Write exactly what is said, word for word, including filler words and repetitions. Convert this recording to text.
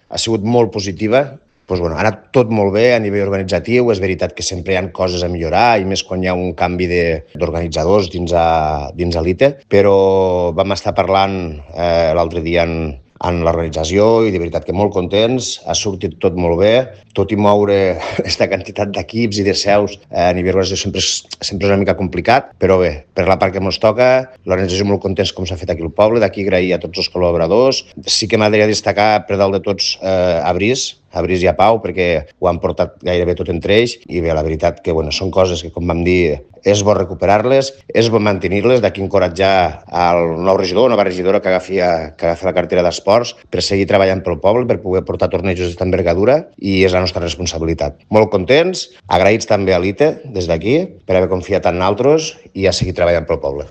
ha sigut molt positiva. Doncs, bueno, ha anat tot molt bé a nivell organitzatiu. És veritat que sempre hi ha coses a millorar, i més quan hi ha un canvi d'organitzadors dins a, dins a l'I T E, però vam estar parlant eh, l'altre dia en, en l'organització i de veritat que molt contents, ha sortit tot molt bé, tot i moure aquesta quantitat d'equips i de seus eh, a nivell organització sempre és, sempre és una mica complicat, però bé, per la part que ens toca, l'organització molt contents com s'ha fet aquí al poble, d'aquí agrair a tots els col·laboradors. Sí que m'agradaria destacar per dalt de tots eh, a Briç, a Briç i a Pau, perquè ho han portat gairebé tot entre ells, i bé, la veritat que bueno, són coses que, com vam dir, és bo recuperar-les, és bo mantenir-les, d'aquí encoratjar al nou regidor, nova regidora que agafi, que agafi la cartera d'esports per seguir treballant pel poble, per poder portar tornejos d'esta envergadura, i és la nostra responsabilitat. Molt contents, agraïts també a l'I T E des d'aquí per haver confiat en nosaltres i a seguir treballant pel poble.